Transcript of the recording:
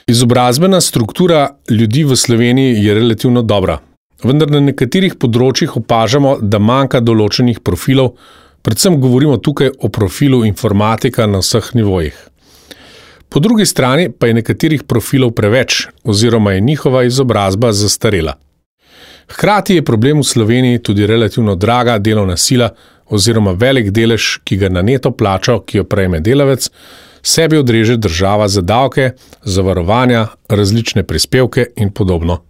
Izobrazbena struktura ljudi v Sloveniji je relativno dobra, vendar na nekaterih področjih opažamo, da manjka določenih profilov, predvsem govorimo tukaj o profilu informatika na vseh nivojih. Po drugi strani pa je nekaterih profilov preveč oziroma je njihova izobrazba zastarela. Hkrati je problem v Sloveniji tudi relativno draga delovna sila oziroma velik delež, ki ga na neto plačo, ki jo prejme delavec, sebi odreže država za davke, zavarovanja, različne prispevke in podobno.